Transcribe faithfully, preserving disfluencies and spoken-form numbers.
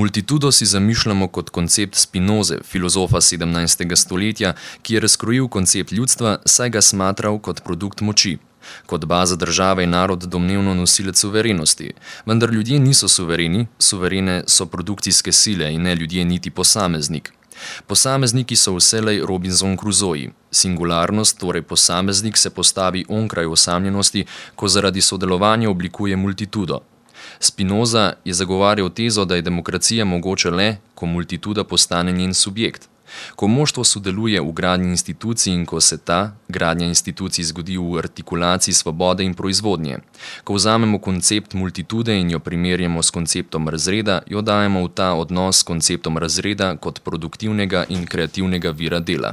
Multitudo si zamišljamo kot koncept Spinoze, filozofa sedemnajstega stoletja, ki je razkrojil koncept ljudstva, saj ga smatral kot produkt moči. Kot baza države je narod domnevno nosilec suverenosti, vendar ljudje niso suvereni, suverene so produkcijske sile in ne ljudje niti posameznik. Posamezniki so vselej Robinson Crusoe. Singularnost, torej posameznik, se postavi onkraj osamljenosti, ko zaradi sodelovanja oblikuje multitudo. Spinoza je zagovarjal tezo, da je demokracija mogoče le, ko multituda postane njen subjekt. Ko moštvo sodeluje v gradnji institucij in ko se ta, gradnja institucij, zgodi v artikulaciji svobode in proizvodnje. Ko vzamemo koncept multitude in jo primerjamo s konceptom razreda, jo dajemo v ta odnos s konceptom razreda kot produktivnega in kreativnega vira dela.